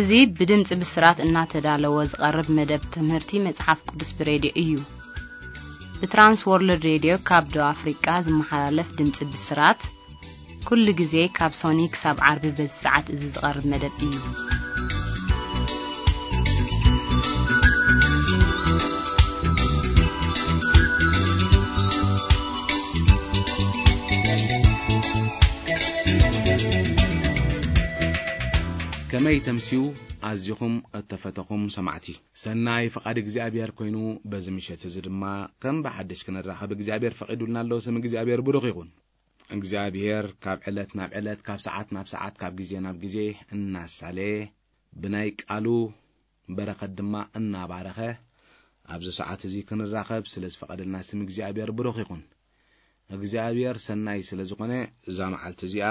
እዚ ብድምፂ ብስራት እናተዳለወ ዝቐርብ መደብ ትምህርቲ መጽሓፍ ቅዱስ ብሬድዮ እዩ። ብትራንስ ወርልድ ሬድዮ ካብ ደቡብ ኣፍሪቃ ዝመሓላለፍ ድምፂ ብስራት፣ ኩሉ ግዜ ካብ ሶኒ ክሳብ ዓርቢ በዚ ሰዓት እዚ ዝቐርብ መደብ እዩ። ከመይ ተምስዩ ኣዚኹም እተፈተኹም ሰማዕቲ። ሰናይ ፍቓድ እግዚኣብሔር ኮይኑ፣ በዚ ምሸት እዚ ድማ ከም ብሓድሽ ክንራኸብ እግዚኣብሔር ፈቒዱልና ኣሎ። ስም እግዚኣብሔር ብሩኽ ይኹን። እግዚኣብሔር ካብ ዕለት ናብ ዕለት፣ ካብ ሰዓት ናብ ሰዓት፣ ካብ ግዜ ናብ ግዜ እናሳለየ፣ ብናይ ቃሉ በረኸት ድማ እናባረኸ፣ ኣብዚ ሰዓት እዚ ክንራኸብ ስለ ዝፈቐደልና ስም እግዚኣብሔር ብሩኽ ይኹን። እግዚኣብሔር ሰናይ ስለ ዝኾነ፣ እዛ መዓልቲ እዚኣ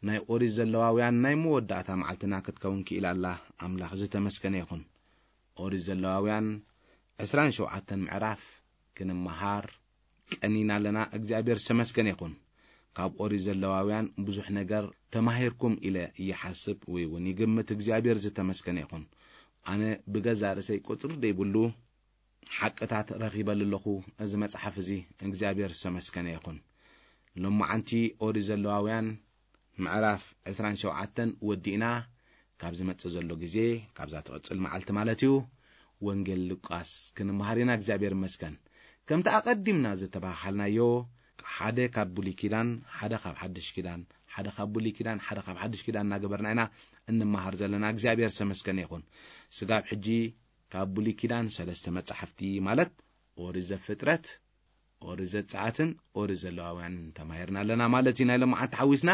ናይ ኦሪት ዘለዋውያን ናይ መወዳእታ መዓልትና ክትከውን ክኢላ ኣላ። ኣምላኽ ዝተመስገነ ይኹን። ኦሪት ዘለዋውያን ዕስራን ሸውዓተን ምዕራፍ ክንመሃር ቀኒና ኣለና። እግዚኣብሔር ዝተመስገነ ይኹን። ካብ ኦሪት ዘለዋውያን ብዙሕ ነገር ተማሂርኩም ኢለ ይሓስብ ወይ እውን ይግምት። እግዚኣብሔር ዝተመስገነ ይኹን። ኣነ ብገዛ ርእሰይ ቁጽሪ ዘይብሉ ሓቅታት ረኺበሉ ኣለኹ። እዚ መጽሓፍ እዚ እግዚኣብሔር ዝተመስገነ ይኹን። ሎማዓንቲ ኦሪት ዘለዋውያን ምዕራፍ ዕስራን ሸውዓተን ወዲእና፣ ካብ ዝመጽእ ዘሎ ግዜ፣ ካብዛ ትቕጽል መዓልቲ ማለት እዩ፣ ወንጌል ሉቃስ ክንመሃር ኢና። እግዚኣብሔር ይመስገን። ከምቲ ኣቐዲምና ዝተባሃልናዮ፣ ሓደ ካብ ብሉይ ኪዳን፣ ሓደ ካብ ሓድሽ ኪዳን፣ ሓደ ካብ ብሉይ ኪዳን፣ ሓደ ካብ ሓድሽ ኪዳን እናገበርና ኢና እንመሃር ዘለና። እግዚኣብሔር ዝተመስገነ ይኹን። ስጋብ ሕጂ ካብ ብሉይ ኪዳን ሰለስተ መጻሕፍቲ ማለት ኦሪት ዘፍጥረት፣ ኦሪት ዘጸኣትን ኦሪት ዘለዋውያንን ተማሂርና ኣለና ማለት እዩ። ናይ ሎማዓንቲ ሓዊስና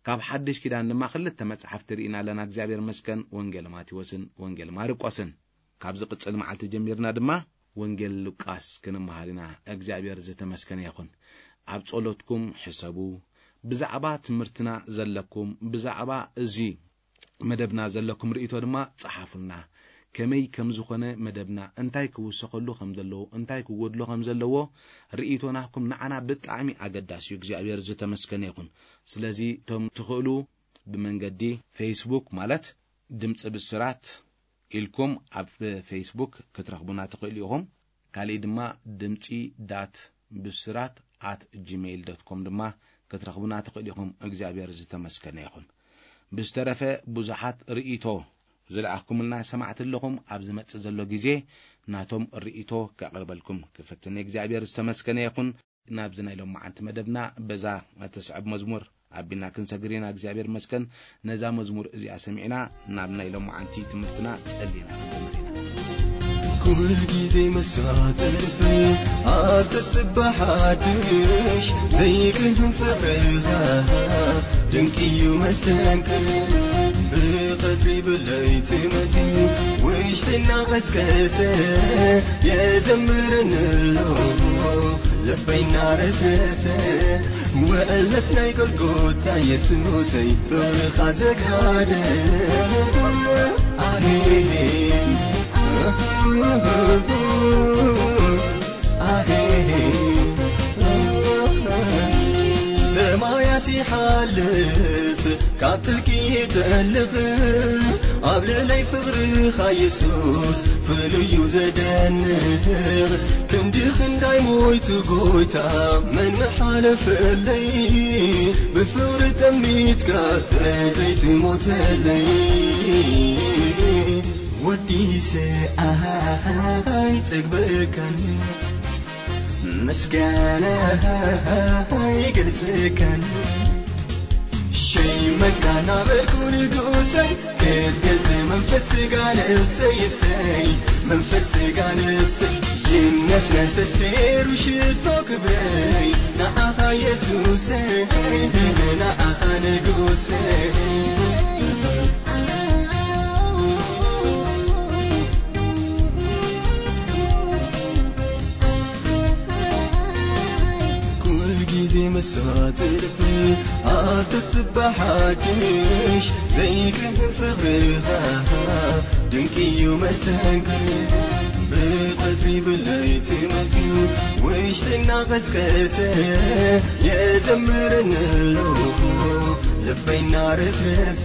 ካብ ሓድሽ ኪዳን ድማ ክልተ መጻሕፍቲ ርኢና ኣለና። እግዚኣብሔር መስገን፣ ወንጌል ማቴዎስን ወንጌል ማርቆስን። ካብ ዝቕጽል መዓልቲ ጀሚርና ድማ ወንጌል ሉቃስ ክንመሃር ኢና። እግዚኣብሔር ዝተመስገነ ይኹን። ኣብ ጸሎትኩም ሕሰቡ። ብዛዕባ ትምህርትና ዘለኩም፣ ብዛዕባ እዚ መደብና ዘለኩም ርእይቶ ድማ ጸሓፉልና። ከመይ ከም ዝኾነ መደብና፣ እንታይ ክውሰኸሉ ከም ዘለዎ፣ እንታይ ክጎድሎ ከም ዘለዎ ርእይቶ ናትኩም ንዓና ብጣዕሚ ኣገዳሲ እዩ። እግዚኣብሔር ዝተመስገነ ይኹን። ስለዚ እቶም ትኽእሉ ብመንገዲ ፌስቡክ ማለት ድምፂ ብስራት ኢልኩም ኣብ ፌስቡክ ክትረኽቡና ትኽእሉ ኢኹም። ካሊእ ድማ ድምፂ ዳት ብስራት ኣት ጂሜይል ዶት ኮም ድማ ክትረኽቡና ትኽእሉ ኢኹም። እግዚኣብሔር ዝተመስገነ ይኹን። ብዝተረፈ ብዙሓት ርእይቶ ዝለኣኽኩምልና ሰማዕቲ ኣለኹም። ኣብ ዝመጽእ ዘሎ ግዜ ናቶም ርእይቶ ከቕርበልኩም ክፍትን። እግዚኣብሔር ዝተመስገነ ይኹን። ናብዚ ናይ ሎማዓንቲ መደብና በዛ እትስዕብ መዝሙር ኣቢልና ክንሰግር ኢና። እግዚኣብሔር መስገን ነዛ መዝሙር እዚኣ ሰሚዕና ናብ ናይ ሎማዓንቲ ትምህርትና ጸሊና ክንጀምር ኢና። ኩል ጊዜ መሳተፍ ኣብ ተጽባሕ ሓድሽ ዘይቅድም ፍቕርኻ ድንቅ እዩ መስተንክር። ብቐትሪ ብለይቲ መጺኡ ውሽጥና ቀስቀሰ የዘምረን ኣሎ ልበይና ረስረሰ። ውዕለት ናይ ጎልጎታ የሱሰይ ብርኻ ዘጋደ። ኣሄ፣ ኣሄ፣ ሰማያት ይሓልፍ ካብ ጥልቂ ይጠልቕ ኣብ ልዕለይ ፍቕርኻ የሱስ ፍሉይ እዩ ዘደንቕ። ክንዲ ክንዳይ ሞይቱ ጎይታ መን ምሓለፈለይ? ብፍቕሪ ጠሚትካ ዘይትሞተለይ። ወዲሰ ኣይጸግበካን ምስጋና ኣይገልጸካን። ሸይመካ ናበልኩ ንጉሰይ ክትገልጽ መንፈስ ስጋ ነፍሰይ እሰይ መንፈስ ስጋ ነፍሰይ ይነስነስ ሴሩ ሽቶ ክብረይ ንኣኻ የሱሰይ ንኣኻ ንጉሰይ። ኩል ጊዜ መሳትፍ ኣብ ተጽባሕ ሓድሽ ዘይቅህር ፍቕርኻ ድንቂ እዩ መስተንክር። ብቐትሪ ብለይቲ መጺኡ ውሽጥና ቀስቀሰ የዘምረን ኣሎ ልበይ እናረስረሰ፣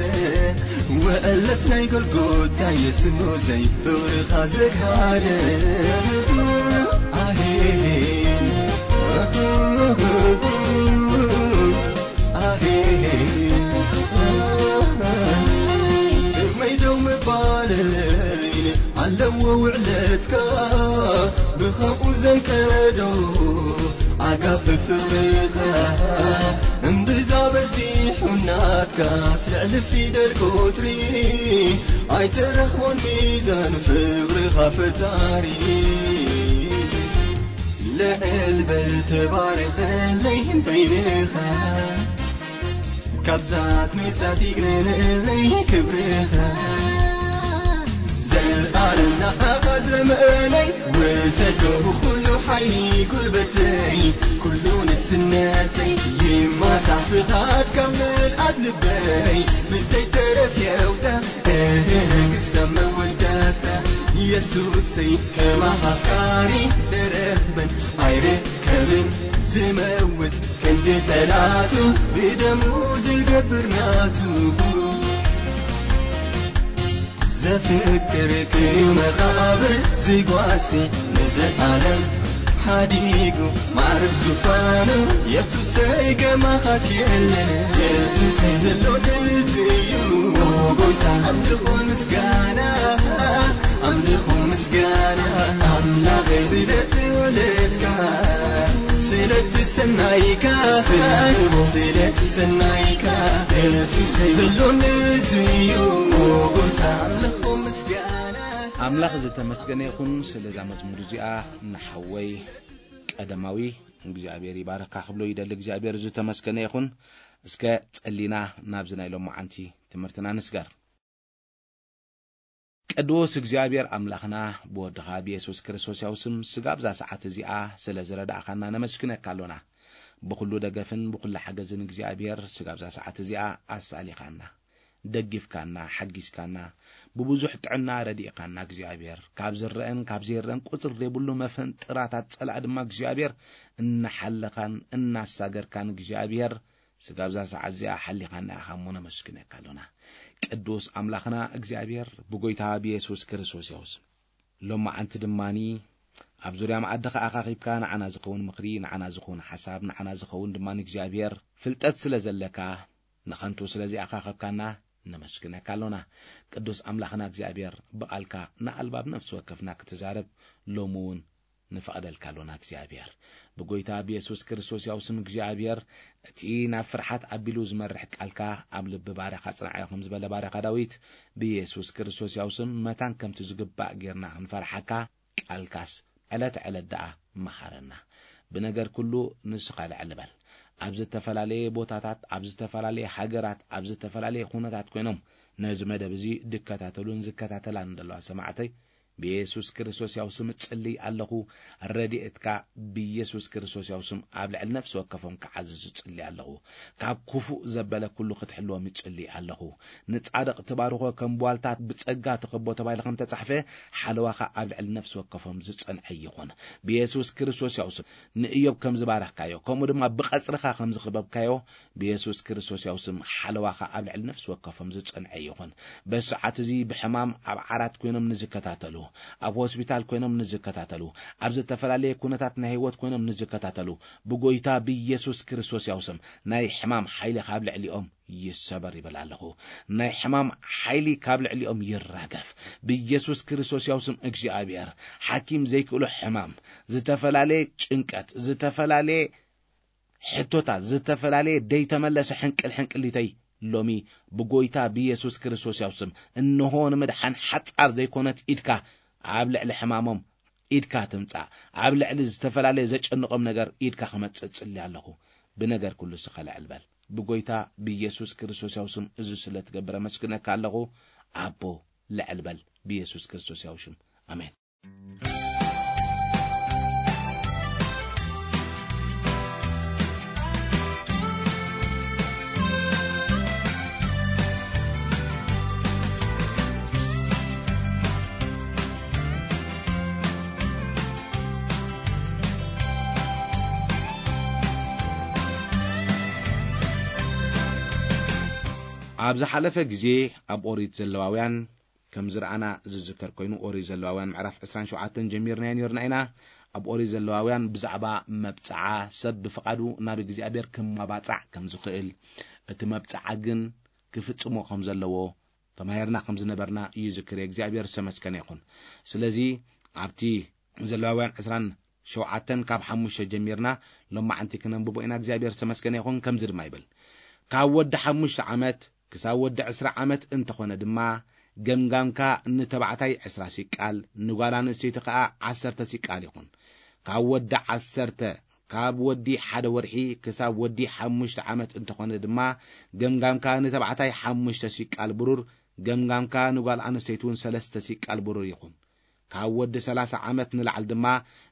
ውዕለት ናይ ጎልጎታ የሱሰይ፣ ፍቕርኻ ዘግሃደ። ኣሄን፣ ኣሄን፣ ስመይ ደው ምባለይን ኣለዎ ውዕለትካ፣ ብኸምኡ ዘንቀዶ ኣጋፍፍ ፍቕርኻ። እምብዛ በዚሑ ናትካስ ልዕሊ ፊደል ቁጽሪ፣ ኣይትረኽቦን ሚዛን ፍቕርኻ ፈጣሪ። ልዕል በል ተባረኸለይ በይንኻ፣ ካብዛት መጻት ይግነነለይ ክብርኻ። ዘልኣለም ንዓኻ ዘመነይ፣ ውሰዶ ኩሉ ሓይሊ ጉልበተይ፣ ኩሉ ንስነተይ ይማሳሕ ብኻትካ ምልኣት ልበይ፣ ብዘይተረፍ የውታ እህ ክሳብ መወዳእታ። የሱሰይ ከማኻ ኣፍቃሪ ተረኽበን ኣይርከብን፣ ዝመውት ክንዲ ጸላቱ ብደሙ ዝገብር ናቱ። ዘፍቅር እዩ መቓብር ዝጓሲ ንዘለኣለም ሓዲጉ ማዕርግ ዙፋኑ። የሱሰይ ከማኻስ የለን፣ የሱሰይ ዘሎ ንሱ እዩ። ኦ ጎይታ ኣምልኾ ምስጋና፣ ኣምልኾ ምስጋና ኣምላኸይ ስለ ትውለድካ፣ ስለ ትሰናይካ፣ ስለ ትሰናይካ የሱሰይ ዘሎ ንሱ እዩ። ኦ ጎይታ ኣምልኾ ምስጋና። ኣምላኽ ዝተመስገነ ይኹን ስለዛ መዝሙር እዚኣ ንሓወይ ቀደማዊ እግዚኣብሔር ይባርካ ክብሎ ይደሊ። እግዚኣብሔር ዝተመስገነ ይኹን። እስከ ጸሊና ናብዚ ናይ ሎማዓንቲ ትምህርትና ንስገር። ቅዱስ እግዚኣብሔር ኣምላኽና ብወድኻ ብየሱስ ክርስቶስ ያው ስም ስጋብ እዛ ሰዓት እዚኣ ስለ ዝረዳእኻና ነመስግነካ ኣሎና። ብኹሉ ደገፍን ብኹሉ ሓገዝን እግዚኣብሔር ስጋብ እዛ ሰዓት እዚኣ ኣሳሊኻና፣ ደጊፍካና፣ ሓጊዝካና፣ ብብዙሕ ጥዕና ረዲእኻና እግዚኣብሔር። ካብ ዝረአን ካብ ዘይረአን ቁጽር ዘይብሉ መፈንጥራታት ጸላእ ድማ እግዚኣብሔር እናሓለኻን እናሳገርካን እግዚኣብሔር ስጋብ እዛ ሰዓት እዚኣ ሓሊኻና ኢኻ እሞ ነመስግነካ ኣሎና። ቅዱስ ኣምላኽና እግዚኣብሔር ብጎይታ ብየሱስ ክርስቶስ ያው ስም ሎማዓንቲ ድማኒ ኣብ ዙርያ መኣዲ ከኣ ኣኻኺብካ ንዓና ዝኸውን ምኽሪ፣ ንዓና ዝኸውን ሓሳብ፣ ንዓና ዝኸውን ድማ ንእግዚኣብሔር ፍልጠት ስለ ዘለካ ንኸንቱ ስለ ዘይኣኻኸብካና ነመስግነካ ኣሎና። ቅዱስ ኣምላኽና እግዚኣብሔር ብቓልካ ንኣልባብ ነፍሲ ወከፍና ክትዛረብ ሎሚ እውን ንፈቕደልካ ኣሎና እግዚኣብሔር። ብጎይታ ብየሱስ ክርስቶስ ያው ስም እግዚኣብሔር እቲ ናብ ፍርሓት ኣቢሉ ዝመርሕ ቃልካ ኣብ ልቢ ባርያኻ ጽንዓዮ ከም ዝበለ ባርያኻ ዳዊት ብየሱስ ክርስቶስ ያው ስም መታን ከምቲ ዝግባእ ጌርና ክንፈርሓካ ቃልካስ ዕለት ዕለት ደኣ መሃረና። ብነገር ኩሉ ንስኻ ልዕል በል። ኣብ ዝተፈላለየ ቦታታት፣ ኣብ ዝተፈላለየ ሃገራት፣ ኣብ ዝተፈላለየ ኩነታት ኮይኖም ነዚ መደብ እዚ ዝከታተሉን ዝከታተላን ዘለዋ ሰማዕተይ ብየሱስ ክርስቶስ ያው ስም እጽልይ ኣለኹ። ረድኤትካ ብየሱስ ክርስቶስ ያው ስም ኣብ ልዕሊ ነፍሲ ወከፎም ክዓዝዝ እጽልይ ኣለኹ። ካብ ክፉእ ዘበለ ኩሉ ክትሕልዎም እጽልይ ኣለኹ። ንጻድቕ ትባርኾ ከም ቧልታት ብጸጋ ትኸቦ ተባሂሉ ከም ተጻሕፈ ሓለዋኻ ኣብ ልዕሊ ነፍሲ ወከፎም ዝጸንዐ ይኹን። ብየሱስ ክርስቶስ ያው ስም ንእዮብ ከም ዝባረኽካዮ ከምኡ ድማ ብቐጽርኻ ከም ዝኸበብካዮ ብየሱስ ክርስቶስ ያው ስም ሓለዋኻ ኣብ ልዕሊ ነፍሲ ወከፎም ዝጸንዐ ይኹን። በዚ ሰዓት እዚ ብሕማም ኣብ ዓራት ኮይኖም ንዝከታተሉ፣ ኣብ ሆስፒታል ኮይኖም ንዝከታተሉ፣ ኣብ ዝተፈላለየ ኩነታት ናይ ህይወት ኮይኖም ንዝከታተሉ ብጎይታ ብየሱስ ክርስቶስ ያው ስም ናይ ሕማም ሓይሊ ካብ ልዕሊኦም ይሰበር ይብል ኣለኹ። ናይ ሕማም ሓይሊ ካብ ልዕሊኦም ይራገፍ ብየሱስ ክርስቶስ ያው ስም እግዚኣብሔር። ሓኪም ዘይክእሎ ሕማም፣ ዝተፈላለየ ጭንቀት፣ ዝተፈላለየ ሕቶታት፣ ዝተፈላለየ ደይተመለሰ ሕንቅል ሕንቅሊተይ ሎሚ ብጎይታ ብየሱስ ክርስቶስ ያው ስም እንሆ ንምድሓን ሓጻር ዘይኮነት ኢድካ ኣብ ልዕሊ ሕማሞም ኢድካ ትምጻእ። ኣብ ልዕሊ ዝተፈላለየ ዘጨንቖም ነገር ኢድካ ክመጽእ እጽሊ ኣለኹ። ብነገር ኩሉ ስኻ ልዕል በል። ብጎይታ ብየሱስ ክርስቶስ ያው ስም እዚ ስለ ትገብር ኣመስግነካ ኣለኹ። ኣቦ ልዕል በል ብየሱስ ክርስቶስ ያው ሽም። ኣሜን። ኣብ ዝሓለፈ ግዜ ኣብ ኦሪት ዘለዋውያን ከም ዝረኣና ዝዝከር ኮይኑ፣ ኦሪት ዘለዋውያን ምዕራፍ ዕስራን ሸውዓተን ጀሚርናዮ ነርና ኢና። ኣብ ኦሪት ዘለዋውያን ብዛዕባ መብጽዓ ሰብ ብፍቓዱ ናብ እግዚኣብሔር ክመባጻዕ ከም ዝኽእል፣ እቲ መብጽዓ ግን ክፍጽሞ ከም ዘለዎ ተማሂርና ከም ዝነበርና ይዝክር። እግዚኣብሔር ዝተመስገነ ይኹን። ስለዚ ኣብቲ ዘለዋውያን ዕስራን ሸውዓተን ካብ ሓሙሽተ ጀሚርና ሎማዓንቲ ክነንብቦ ኢና። እግዚኣብሔር ዝተመስገነ ይኹን። ከምዚ ድማ ይብል፣ ካብ ወዲ ሓሙሽተ ዓመት ክሳብ ወዲ ዕስራ ዓመት እንተኾነ ድማ፣ ገምጋምካ ንተባዕታይ ዕስራ ሲቃል፣ ንጓል ኣንስተይቲ ከኣ ዓሰርተ ሲቃል ይኹን። ካብ ወዲ ዓሰርተ፣ ካብ ወዲ ሓደ ወርሒ ክሳብ ወዲ ሓሙሽተ ዓመት እንተኾነ ድማ፣ ገምጋምካ ንተባዕታይ ሓሙሽተ ሲቃል ብሩር፣ ገምጋምካ ንጓል ኣንስተይቲ እውን ሰለስተ ሲቃል ብሩር ይኹን። ካብ ወዲ ሰላሳ ዓመት ንላዕሊ ድማ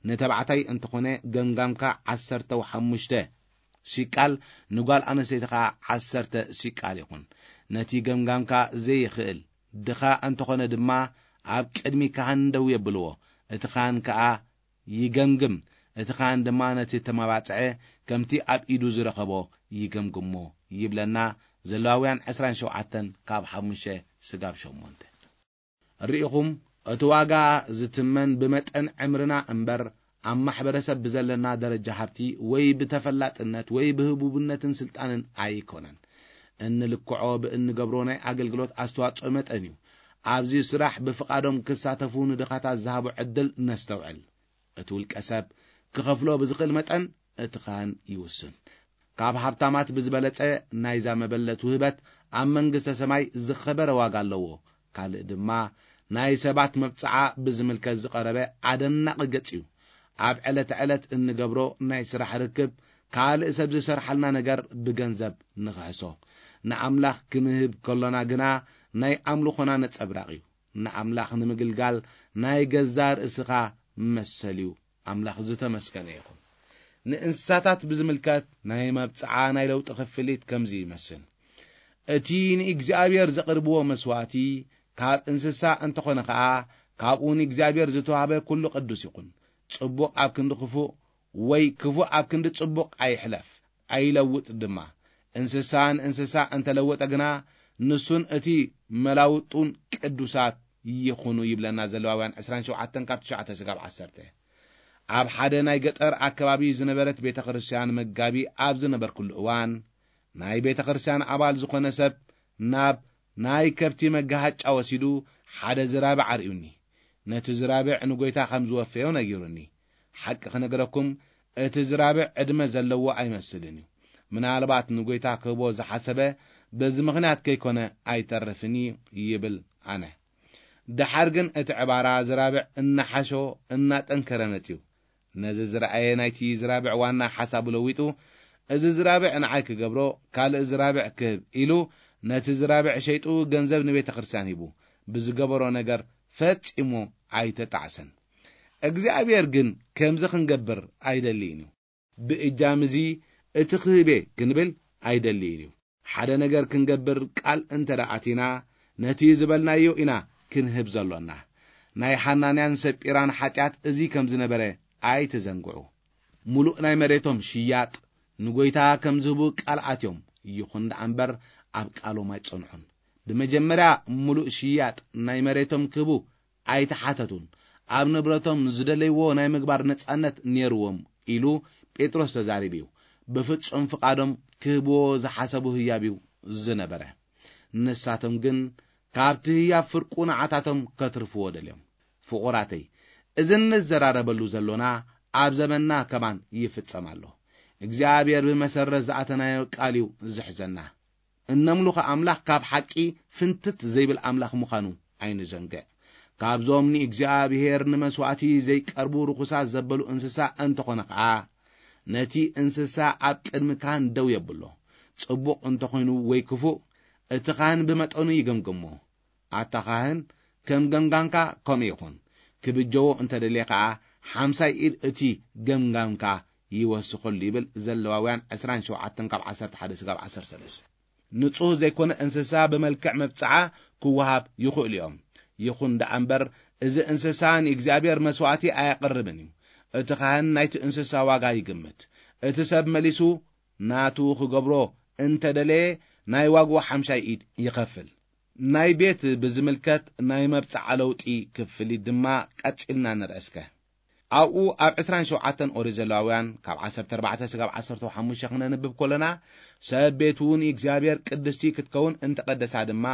ንተባዕታይ እንተኾነ ገምጋምካ ዓሰርተ ሓሙሽተ ሲቃል፣ ንጓል ኣንስተይቲ ኸዓ ዓሰርተ ሲቃል ይኹን። ነቲ ገምጋምካ ዘይኽእል ድኻ እንተኾነ ድማ ኣብ ቅድሚ ካህን ደው የብልዎ። እቲ ካህን ከኣ ይገምግም። እቲ ካህን ድማ ነቲ ተመባጽዐ ከምቲ ኣብ ኢዱ ዝረኸቦ ይገምግሞ ይብለና። ዘለዋውያን ዕስራን ሸውዓተን ካብ ሓሙሽተ ስጋብ ሸሞንተ። ርኢኹም፣ እቲ ዋጋ ዝትመን ብመጠን ዕምርና እምበር፣ ኣብ ማሕበረሰብ ብዘለና ደረጃ ሃብቲ ወይ ብተፈላጥነት ወይ ብህቡብነትን ስልጣንን ኣይኮነን። እንልክዖ ብእንገብሮ ናይ ኣገልግሎት ኣስተዋጽኦ መጠን እዩ። ኣብዚ ስራሕ ብፍቓዶም ክሳተፉ ንድኻታት ዝሃቦ ዕድል ነስተውዕል። እቲ ውልቀ ሰብ ክኸፍሎ ብዝኽእል መጠን እቲ ካህን ይውስን። ካብ ሃብታማት ብዝበለጸ ናይዛ መበለት ውህበት ኣብ መንግስተ ሰማይ ዝኸበረ ዋጋ ኣለዎ። ካልእ ድማ ናይ ሰባት መብጽዓ ብዝምልከት ዝቐረበ ኣደናቒ ገጽ እዩ። ኣብ ዕለተ ዕለት እንገብሮ ናይ ስራሕ ርክብ ካልእ ሰብ ዝሰርሓልና ነገር ብገንዘብ ንኽሕሶ። ንኣምላኽ ክንህብ ከሎና ግና ናይ ኣምልኾና ነጸብራቕ እዩ። ንኣምላኽ ንምግልጋል ናይ ገዛእ ርእስኻ መሰል እዩ። ኣምላኽ ዝተመስገነ ይኹን። ንእንስሳታት ብዝምልከት ናይ መብጽዓ ናይ ለውጢ ክፍሊት ከምዚ ይመስል። እቲ ንእግዚኣብሔር ዘቕርብዎ መስዋእቲ ካብ እንስሳ እንተኾነ ኸኣ፣ ካብኡ ንእግዚኣብሔር ዝተዋህበ ኩሉ ቅዱስ ይኹን። ጽቡቕ ኣብ ክንዲ ክፉእ ወይ ክፉእ ኣብ ክንዲ ጽቡቕ ኣይሕለፍ፣ ኣይለውጥ ድማ። እንስሳ ንእንስሳ እንተለወጠ ግና ንሱን እቲ መላውጡን ቅዱሳት ይኹኑ ይብለና ዘለዋውያን ዕስራን ሸውዓተን ካብ ትሽዓተ ስጋብ ዓሰርተ። ኣብ ሓደ ናይ ገጠር ኣከባቢ ዝነበረት ቤተ ክርስቲያን መጋቢ ኣብ ዝነበርኩሉ እዋን፣ ናይ ቤተ ክርስቲያን ኣባል ዝኾነ ሰብ ናብ ናይ ከብቲ መጋሃጫ ወሲዱ ሓደ ዝራብዕ ኣርእዩኒ። ነቲ ዝራብዕ ንጎይታ ከም ዝወፈዮ ነጊሩኒ። ሓቂ ክነግረኩም፣ እቲ ዝራብዕ ዕድመ ዘለዎ ኣይመስልን እዩ። ምናልባት ንጎይታ ክህቦ ዝሓሰበ በዚ ምኽንያት ከይኮነ ኣይተርፍን እዩ ይብል ኣነ። ደሓር ግን እቲ ዕባራ ዝራብዕ እናሓሾ እናጠንከረ መጺኡ። ነዚ ዝረኣየ ናይቲ ዝራብዕ ዋና ሓሳቡ ለዊጡ፣ "እዚ ዝራብዕ ንዓይ ክገብሮ፣ ካልእ ዝራብዕ ክህብ" ኢሉ ነቲ ዝራብዕ ሸይጡ ገንዘብ ንቤተ ክርስቲያን ሂቡ። ብዝገበሮ ነገር ፈጺሙ ኣይተጣዕሰን። እግዚኣብሔር ግን ከምዚ ክንገብር ኣይደልይን እዩ። ብእጃም እዚ እቲ ክህቤ ክንብል ኣይደልይን እዩ። ሓደ ነገር ክንገብር ቃል እንተ ደኣ ኣቲና፣ ነቲ ዝበልናዮ ኢና ክንህብ ዘሎና። ናይ ሓናንያን ሰጲራን ሓጢኣት እዚ ከም ዝነበረ ኣይትዘንግዑ። ሙሉእ ናይ መሬቶም ሽያጥ ንጎይታ ከም ዝህቡ ቃል ኣትዮም፣ ይኹን ደኣ እምበር ኣብ ቃሎም ኣይጸንሑን። ብመጀመርያ ሙሉእ ሽያጥ ናይ መሬቶም ክህቡ ኣይተሓተቱን። ኣብ ንብረቶም ዝደለይዎ ናይ ምግባር ነጻነት ነይርዎም ኢሉ ጴጥሮስ ተዛሪቡ እዩ። ብፍጹም ፍቓዶም ክህብዎ ዝሓሰቡ ህያብ እዩ ዝነበረ። ንሳቶም ግን ካብቲ ህያብ ፍርቁ ንዓታቶም ከትርፍዎ ደልዮም። ፍቑራተይ፣ እዚ እንዘራረበሉ ዘሎና ኣብ ዘመንና ከማን ይፍጸም ኣሎ። እግዚኣብሔር ብመሰረት ዝኣተናዮ ቃል እዩ ዝሕዘና። እነምልኾ ኣምላኽ ካብ ሓቂ ፍንትት ዘይብል ኣምላኽ ምዃኑ ኣይንዘንግዕ። ካብዞም ንእግዚኣብሔር ንመስዋእቲ ዘይቀርቡ ርኹሳት ዘበሉ እንስሳ እንተኾነ ኸኣ፣ ነቲ እንስሳ ኣብ ቅድሚ ካህን ደው የብሎ። ጽቡቕ እንተኾይኑ ወይ ክፉእ፣ እቲ ካህን ብመጠኑ ይገምግሞ። ኣታ ካህን፣ ከም ገምጋምካ ከምኡ ይኹን። ክብጀዎ እንተ ደልየ ኸኣ፣ ሓምሳይ ኢድ እቲ ገምጋምካ ይወስኸሉ ይብል ዘለዋውያን ዕስራን ሸውዓተን ካብ ዓሰርተ ሓደ ስጋብ ዓሰርተ ሰለስተ። ንጹህ ዘይኮነ እንስሳ ብመልክዕ መብጽዓ ክወሃብ ይኽእሉ እዮም። ይኹን ደኣ እምበር፣ እዚ እንስሳ ንእግዚኣብሔር መስዋእቲ ኣየቕርብን እዩ። እቲ ካህን ናይቲ እንስሳ ዋጋ ይግምት። እቲ ሰብ መሊሱ ናቱ ክገብሮ እንተ ደለየ፣ ናይ ዋግኡ ሓምሻይ ኢድ ይኸፍል። ናይ ቤት ብዝምልከት ናይ መብጽዓ ለውጢ ክፍሊት ድማ ቀጺልና ንርአ እስከ። ኣብኡ ኣብ ዕስራን ሸውዓተን ኦሪት ዘለዋውያን ካብ ዓሰርተ ኣርባዕተ ስጋብ ዓሰርተ ሓሙሽተ ክነንብብ ከለና፣ ሰብ ቤቱ ንእግዚኣብሔር ቅድስቲ ክትከውን እንተቐደሳ ድማ፣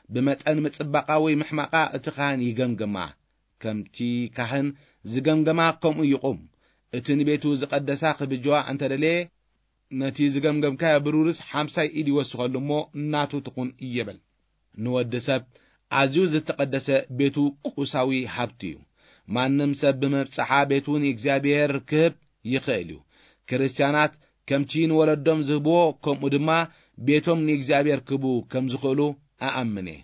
ብመጠን ምጽባቓ ወይ ምሕማቓ እቲ ካህን ይገምግማ። ከምቲ ካህን ዝገምገማ ከምኡ ይቑም። እቲ ንቤቱ ዝቐደሳ ክብጅዋ እንተደለየ፣ ነቲ ዝገምገምካዮ ብሩርስ ሓምሳይ ኢድ ይወስኸሉ እሞ ናቱ ትኹን ይብል። ንወዲ ሰብ ኣዝዩ ዝተቐደሰ ቤቱ ቁሳዊ ሃብቲ እዩ። ማንም ሰብ ብመብጽዓ ቤቱ ንእግዚኣብሔር ክህብ ይኽእል እዩ። ክርስትያናት ከምቲ ንወለዶም ዝህብዎ፣ ከምኡ ድማ ቤቶም ንእግዚኣብሔር ክህቡ ከም ዝኽእሉ እኣምን እየ።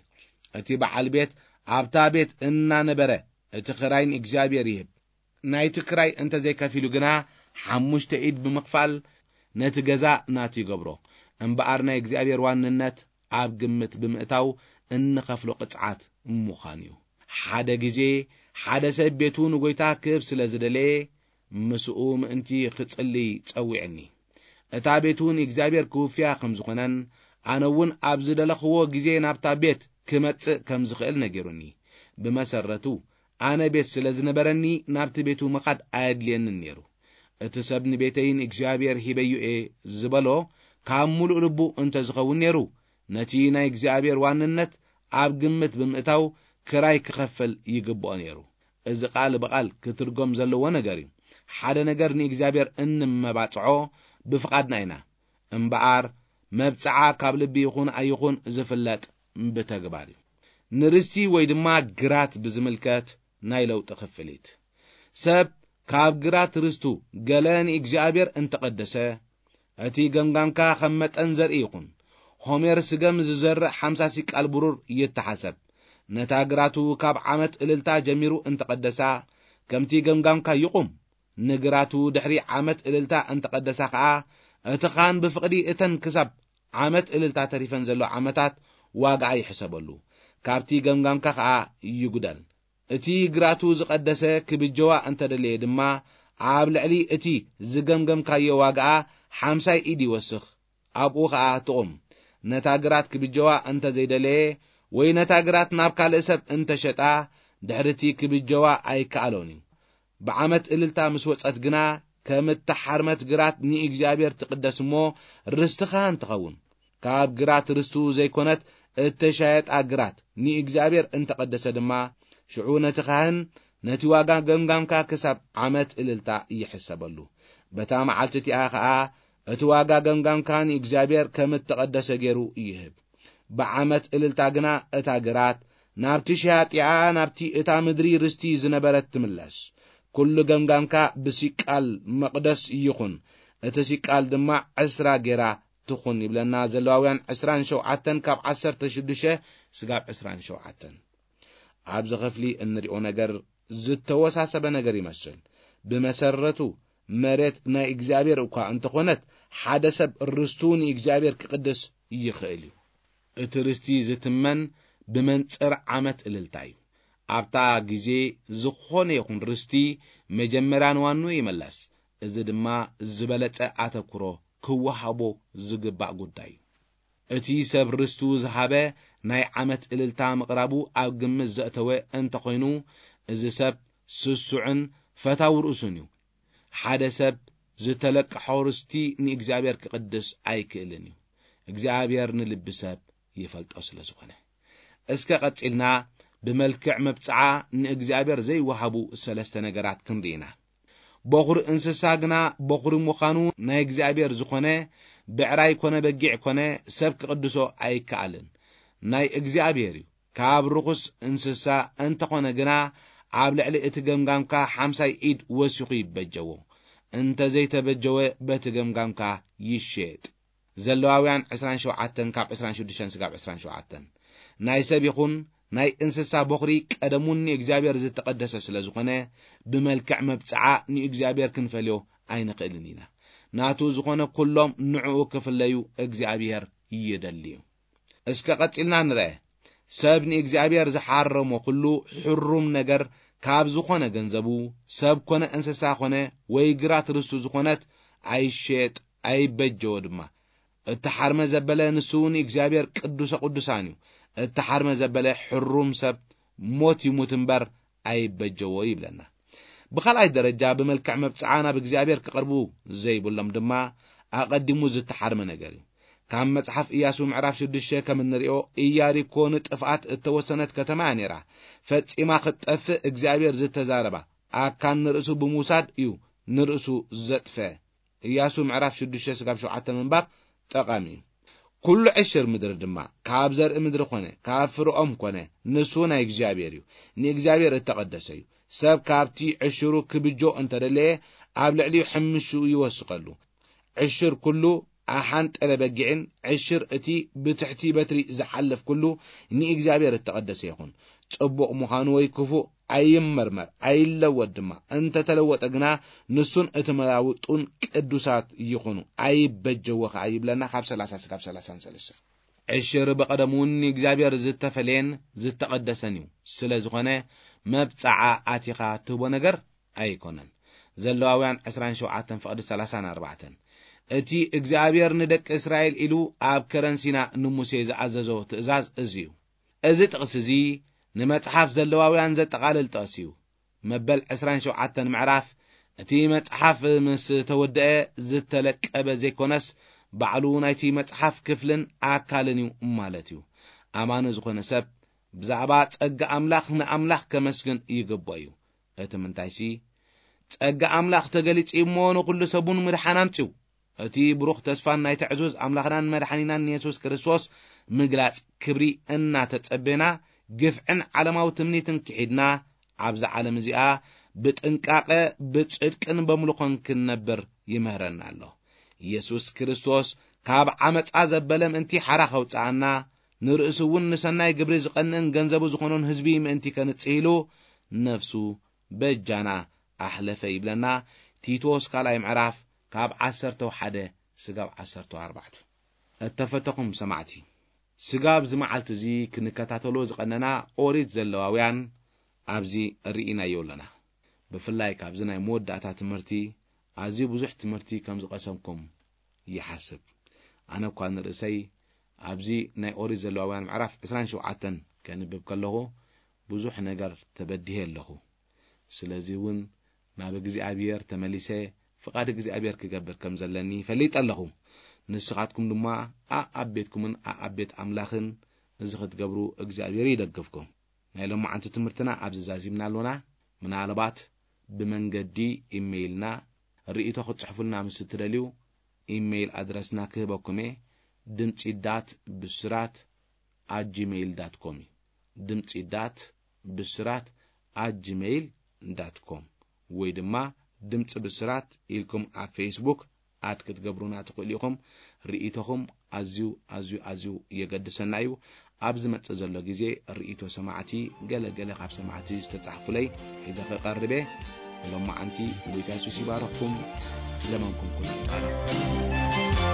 እቲ በዓል ቤት ኣብታ ቤት እናነበረ እቲ ክራይ ንእግዚኣብሔር ይህብ። ናይቲ ክራይ እንተ ዘይከፊሉ ግና፣ ሓሙሽተ ኢድ ብምኽፋል ነቲ ገዛ ናቱ ይገብሮ። እምበኣር ናይ እግዚኣብሔር ዋንነት ኣብ ግምት ብምእታው እንኸፍሎ ቅጽዓት ምዃን እዩ። ሓደ ግዜ ሓደ ሰብ ቤቱ ንጎይታ ክህብ ስለ ዝደለየ፣ ምስኡ ምእንቲ ክጽልይ ጸዊዕኒ። እታ ቤቱ ንእግዚኣብሔር ክውፍያ ከም ዝኾነን፣ ኣነ እውን ኣብ ዝደለኽዎ ግዜ ናብታ ቤት ክመጽእ ከም ዝኽእል ነጊሩኒ። ብመሰረቱ፣ ኣነ ቤት ስለ ዝነበረኒ፣ ናብቲ ቤቱ ምኻድ ኣየድልየንን ነይሩ። እቲ ሰብ ንቤተይ ንእግዚኣብሔር ሂበዮ እየ ዝበሎ ካብ ምሉእ ልቡ እንተ ዝኸውን ነይሩ፣ ነቲ ናይ እግዚኣብሔር ዋንነት ኣብ ግምት ብምእታው ክራይ ክኸፍል ይግብኦ ነይሩ። እዚ ቃል ብቓል ክትርጎም ዘለዎ ነገር እዩ። ሓደ ነገር ንእግዚኣብሔር እንመባጽዖ ብፍቓድና ኢና። እምበኣር፣ መብጽዓ ካብ ልቢ ይኹን ኣይኹን ዝፍለጥ ብተግባር እዩ። ንርስቲ ወይ ድማ ግራት ብዝምልከት ናይ ለውጢ ክፍሊት። ሰብ ካብ ግራት ርስቱ ገለ ንእግዚኣብሔር እንተቐደሰ፣ እቲ ገምጋምካ ከም መጠን ዘርኢ ይኹን። ሆሜር ስገም ዝዘርእ ሓምሳ ሲቃል ብሩር ይተሓሰብ። ነታ ግራቱ ካብ ዓመት እልልታ ጀሚሩ እንተቐደሳ፣ ከምቲ ገምጋምካ ይቑም። ንግራቱ ድሕሪ ዓመት እልልታ እንተቐደሳ ኸኣ፣ እቲ ኻህን ብፍቕዲ እተን ክሳብ ዓመት እልልታ ተሪፈን ዘሎ ዓመታት ዋጋኣ ይሕሰበሉ፣ ካብቲ ገምጋምካ ኸኣ ይጉደል። እቲ ግራቱ ዝቐደሰ ክብጀዋ እንተደለየ ድማ፣ ኣብ ልዕሊ እቲ ዝገምገምካዮ ዋጋኣ ሓምሳይ ኢድ ይወስኽ፣ ኣብኡ ኸኣ ትቑም። ነታ ግራት ክብጀዋ እንተ ዘይደለየ፣ ወይ ነታ ግራት ናብ ካልእ ሰብ እንተ ሸጣ፣ ድሕሪ እቲ ክብጀዋ ኣይከኣሎን እዩ። ብዓመት እልልታ ምስ ወጸት ግና፣ ከም እተሓርመት ግራት ንእግዚኣብሔር ትቕደስ እሞ፣ ርስቲ ኻህን ትኸውን። ካብ ግራት ርስቱ ዘይኮነት እተሻየጣ ግራት ንእግዚኣብሔር እንተቐደሰ ድማ፣ ሽዑ ነቲ ኻህን ነቲ ዋጋ ገምጋምካ ክሳብ ዓመት እልልታ ይሕሰበሉ። በታ መዓልቲ እቲኣ ኸኣ እቲ ዋጋ ገምጋምካ ንእግዚኣብሔር ከም እተቐደሰ ገይሩ ይህብ። ብዓመት እልልታ ግና እታ ግራት ናብቲ ሸያጢኣ፣ ናብቲ እታ ምድሪ ርስቲ ዝነበረት ትምለስ። ኩሉ ገምጋምካ ብሲቃል መቕደስ ይኹን፣ እቲ ሲቃል ድማ ዕስራ ጌራ ትኹን ይብለና ዘለዋውያን ዕስራን ሸውዓተን ካብ ዓሰርተ ሽዱሽተ ስጋብ ዕስራን ሸውዓተን። ኣብዚ ክፍሊ እንሪኦ ነገር ዝተወሳሰበ ነገር ይመስል። ብመሰረቱ መሬት ናይ እግዚኣብሔር እኳ እንተኾነት፣ ሓደ ሰብ ርስቱ ንእግዚኣብሔር ክቕድስ ይኽእል እዩ። እቲ ርስቲ ዝትመን ብመንጽር ዓመት እልልታ እዩ። ኣብታ ግዜ ዝኾነ ይኹን ርስቲ መጀመርያ ንዋኑ ይመለስ። እዚ ድማ ዝበለጸ ኣተኩሮ ክወሃቦ ዝግባእ ጉዳይ እዩ። እቲ ሰብ ርስቱ ዝሃበ ናይ ዓመት እልልታ ምቕራቡ ኣብ ግምት ዘእተወ እንተኾይኑ፣ እዚ ሰብ ስሱዕን ፈታዊ ርእሱን እዩ። ሓደ ሰብ ዝተለቅሖ ርስቲ ንእግዚኣብሔር ክቕድስ ኣይክእልን እዩ። እግዚኣብሔር ንልቢ ሰብ ይፈልጦ ስለ ዝኾነ። እስከ ቀጺልና ብመልክዕ መብጽዓ ንእግዚኣብሔር ዘይወሃቡ ሰለስተ ነገራት ክንርኢ ኢና። በኹሪ እንስሳ ግና በኹሪ ምዃኑ ናይ እግዚኣብሔር ዝኾነ፣ ብዕራይ ኮነ በጊዕ ኮነ ሰብ ክቕድሶ ኣይከኣልን። ናይ እግዚኣብሔር እዩ። ካብ ርኹስ እንስሳ እንተኾነ ግና፣ ኣብ ልዕሊ እቲ ገምጋምካ ሓምሳይ ኢድ ወሲኹ ይበጀዎ። እንተ ዘይተበጀወ፣ በቲ ገምጋምካ ይሸየጥ። ዘለዋውያን ዕስራን ሸውዓተን ካብ ዕስራን ሽዱሽተን ስጋብ ዕስራን ሸውዓተን። ናይ ሰብ ይኹን ናይ እንስሳ በኹሪ ቀደሙን ንእግዚኣብሔር ዝተቐደሰ ስለ ዝኾነ፣ ብመልክዕ መብጽዓ ንእግዚኣብሔር ክንፈልዮ ኣይንኽእልን ኢና። ናቱ ዝኾነ ኩሎም ንዕኡ ክፍለዩ እግዚኣብሔር ይደሊ እዩ። እስከ ቀጺልና ንርአ። ሰብ ንእግዚኣብሔር ዝሓረሞ ኩሉ ሕሩም ነገር ካብ ዝኾነ ገንዘቡ፣ ሰብ ኮነ እንስሳ ኮነ ወይ ግራት ርስቱ ዝኾነት ኣይሸየጥ ኣይበጀዎ ድማ። እተሓርመ ዘበለ ንሱ እውን እግዚኣብሔር ቅዱሰ ቅዱሳን እዩ። እተሓርመ ዘበለ ሕሩም ሰብ ሞት ይሙት እምበር ኣይበጀዎ ይብለና። ብኻልኣይ ደረጃ ብመልክዕ መብጽዓ ናብ እግዚኣብሔር ክቐርቡ ዘይብሎም ድማ ኣቐዲሙ ዝተሓርመ ነገር እዩ። ካብ መጽሓፍ ኢያሱ ምዕራፍ ሽዱሽተ ከም እንሪኦ፣ ኢያሪኮ ንጥፍኣት እተወሰነት ከተማ እያ ነይራ። ፈጺማ ክትጠፍእ እግዚኣብሔር ዝተዛረባ ኣካን ንርእሱ ብምውሳድ እዩ ንርእሱ ዘጥፈ። ኢያሱ ምዕራፍ ሽዱሽተ ስጋብ ሸውዓተ ምንባብ ጠቓሚ እዩ። ኩሉ ዕሽር ምድሪ ድማ ካብ ዘርኢ ምድሪ ኮነ ካብ ፍርኦም ኮነ ንሱ ናይ እግዚኣብሔር እዩ፣ ንእግዚኣብሔር እተቐደሰ እዩ። ሰብ ካብቲ ዕሽሩ ክብጆ እንተደለየ ኣብ ልዕሊኡ ሕምሹ ይወስኸሉ። ዕሽር ኩሉ ኣሓንጠለ በጊዕን ዕሽር እቲ ብትሕቲ በትሪ ዝሓልፍ ኩሉ ንእግዚኣብሔር እተቐደሰ ይኹን። ጽቡቕ ምዃኑ ወይ ክፉእ ኣይመርመር፣ ኣይለወጥ ድማ። እንተተለወጠ ግና ንሱን እቲ መላውጡን ቅዱሳት ይኹኑ፣ ኣይበጀዎ ኸዓ ይብለና ካብ ሰላሳ እስካብ ሰላሳን ሰለስተ። ዕሽር ብቐደሙ እውን ንእግዚኣብሔር ዝተፈለየን ዝተቐደሰን እዩ። ስለ ዝኾነ መብጽዓ ኣቲኻ ትህቦ ነገር ኣይኮነን። ዘለዋውያን ዕስራን ሸውዓተን ፍቕዲ ሰላሳን ኣርባዕተን። እቲ እግዚኣብሔር ንደቂ እስራኤል ኢሉ ኣብ ከረን ሲና ንሙሴ ዝኣዘዞ ትእዛዝ እዚ እዩ። እዚ ጥቕሲ እዚ ንመጽሓፍ ዘለዋውያን ዘጠቓልል ጥቕሲ እዩ። መበል ዕስራን ሸውዓተን ምዕራፍ እቲ መጽሓፍ ምስ ተወደአ ዝተለቀበ ዘይኮነስ፣ ባዕሉ ናይቲ መጽሓፍ ክፍልን ኣካልን እዩ ማለት እዩ። ኣማኒ ዝኾነ ሰብ ብዛዕባ ጸጋ ኣምላኽ ንኣምላኽ ከመስግን ይግብኦ እዩ። እቲ ምንታይሲ፣ ጸጋ ኣምላኽ ተገሊጹ እሞ ንኹሉ ሰብ እውን ምድሓን ኣምጺኡ። እቲ ብሩኽ ተስፋን ናይቲ ዕዙዝ ኣምላኽናን መድሓኒናን የሱስ ክርስቶስ ምግላጽ ክብሪ እናተጸበና፣ ግፍዕን ዓለማዊ ትምኒትን ክሒድና፣ ኣብዛ ዓለም እዚኣ ብጥንቃቐ፣ ብጽድቅን በምልኾን ክንነብር ይምህረና ኣሎ። የሱስ ክርስቶስ ካብ ዓመጻ ዘበለ ምእንቲ ሓራ ከውጽኣና፣ ንርእሱ እውን ንሰናይ ግብሪ ዝቐንእን ገንዘቡ ዝኾኖን ህዝቢ ምእንቲ ከንጽህ ኢሉ ነፍሱ በጃና ኣሕለፈ ይብለና። ቲቶስ ካልኣይ ምዕራፍ ካብ ዓሰርተ ሓደ ስጋብ ዓሰርተ ኣርባዕተ። እተፈተኹም ሰማዕቲ፣ ስጋብ እዚ መዓልቲ እዚ ክንከታተሎ ዝቐነና ኦሪት ዘለዋውያን ኣብዚ ርኢናዮ ኣለና። ብፍላይ ካብዚ ናይ መወዳእታ ትምህርቲ ኣዝዩ ብዙሕ ትምህርቲ ከም ዝቐሰምኩም ይሓስብ። ኣነ እኳ ንርእሰይ ኣብዚ ናይ ኦሪት ዘለዋውያን ምዕራፍ ዕስራን ሸውዓተን ከንብብ ከለኹ ብዙሕ ነገር ተበዲሄ ኣለኹ። ስለዚ እውን ናብ እግዚኣብሔር ተመሊሰ ፍቓድ እግዚኣብሔር ክገብር ከም ዘለኒ ፈሊጠ ኣለኹ። ንስኻትኩም ድማ ኣኣብ ቤትኩምን ኣኣብ ቤት ኣምላኽን እዚ ክትገብሩ እግዚኣብሔር ይደግፍኩም። ናይ ሎማዓንቲ ትምህርትና ኣብዚ ዛዚምና ኣሎና። ምናልባት ብመንገዲ ኢሜይልና ርእይቶ ክትጽሕፉልና ምስ እትደልዩ፣ ኢሜይል ኣድረስና ክህበኩም እየ። ድምጺ ዳት ብስራት ኣት ጂሜይል ዳት ኮም እዩ። ድምጺ ዳት ብስራት ኣት ጂሜይል ዳት ኮም ወይ ድማ ድምጺ ብስራት ኢልኩም ኣብ ፌስቡክ ኣድ ክትገብሩና ትኽእሉ ኢኹም። ርእይቶኹም ኣዝዩ፣ ኣዝዩ፣ ኣዝዩ የገድሰና እዩ። ኣብ ዝመጽእ ዘሎ ግዜ ርእይቶ ሰማዕቲ፣ ገለ ገለ ካብ ሰማዕቲ ዝተጻሕፉለይ ሒዘ ክቐርብ እየ። ሎማዓንቲ ጎይታ የሱስ ይባርኽኩም። ዘመንኩም ኩሉ ይባረኽ።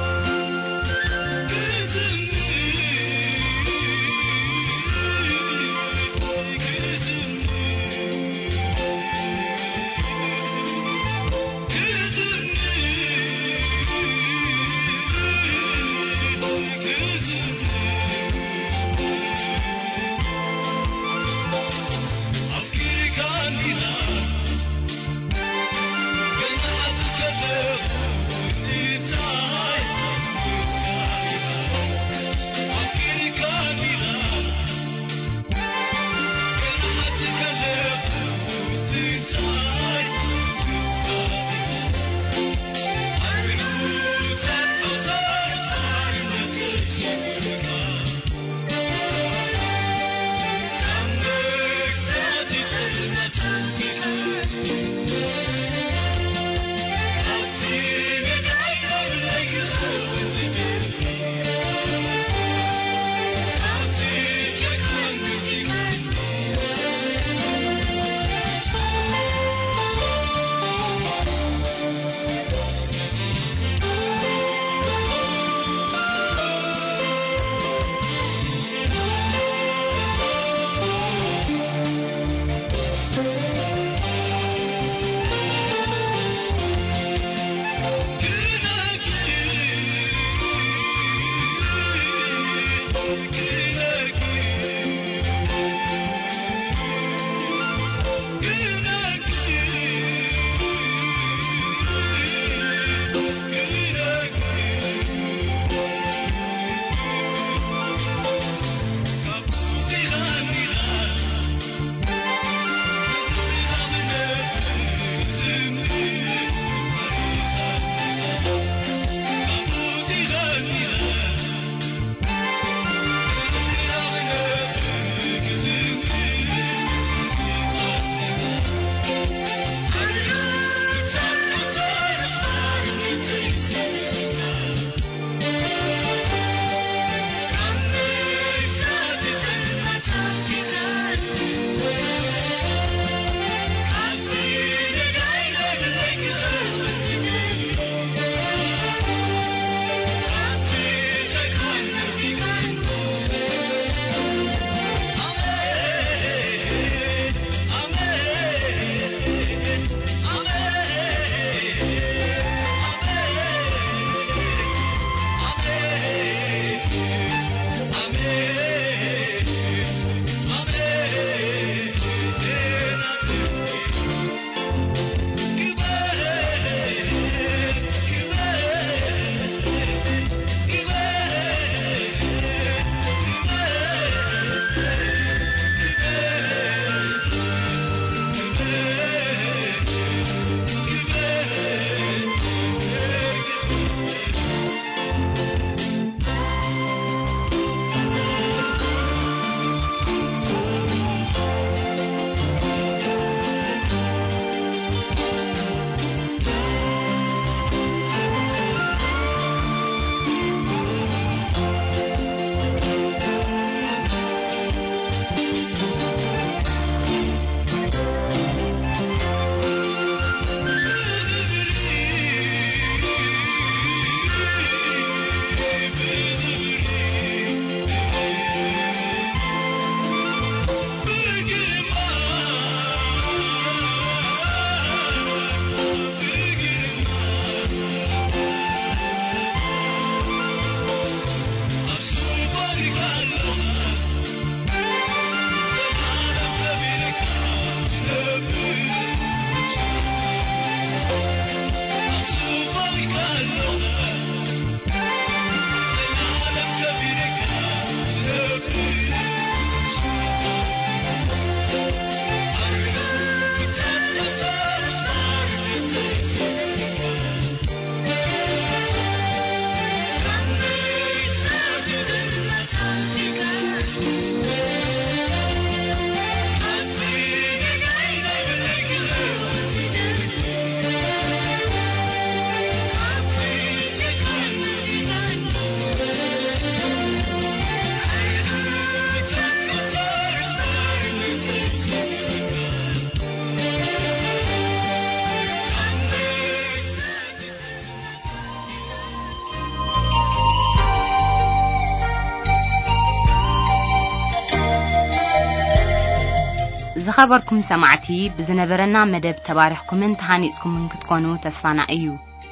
ዝኸበርኩም ሰማዕቲ፣ ብዝነበረና መደብ ተባሪኽኩምን ተሃኒጽኩምን ክትኮኑ ተስፋና እዩ።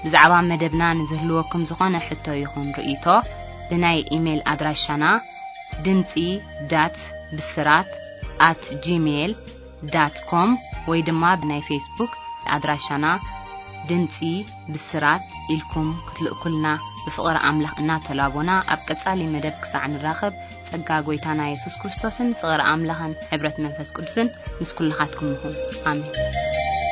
ብዛዕባ መደብና ንዝህልወኩም ዝኾነ ሕቶ ይኹን ርእይቶ፣ ብናይ ኢሜይል ኣድራሻና ድምጺ ዳት ብስራት ኣት ጂሜይል ዳት ኮም ወይ ድማ ብናይ ፌስቡክ ኣድራሻና ድምጺ ብስራት ኢልኩም ክትልእኩልና ብፍቕሪ ኣምላኽ እናተላቦና፣ ኣብ ቀጻሊ መደብ ክሳዕ ንራኸብ፣ ጸጋ ጐይታና የሱስ ክርስቶስን ፍቕሪ ኣምላኽን ሕብረት መንፈስ ቅዱስን ምስ ኩልኻትኩም ይኹን። ኣሜን።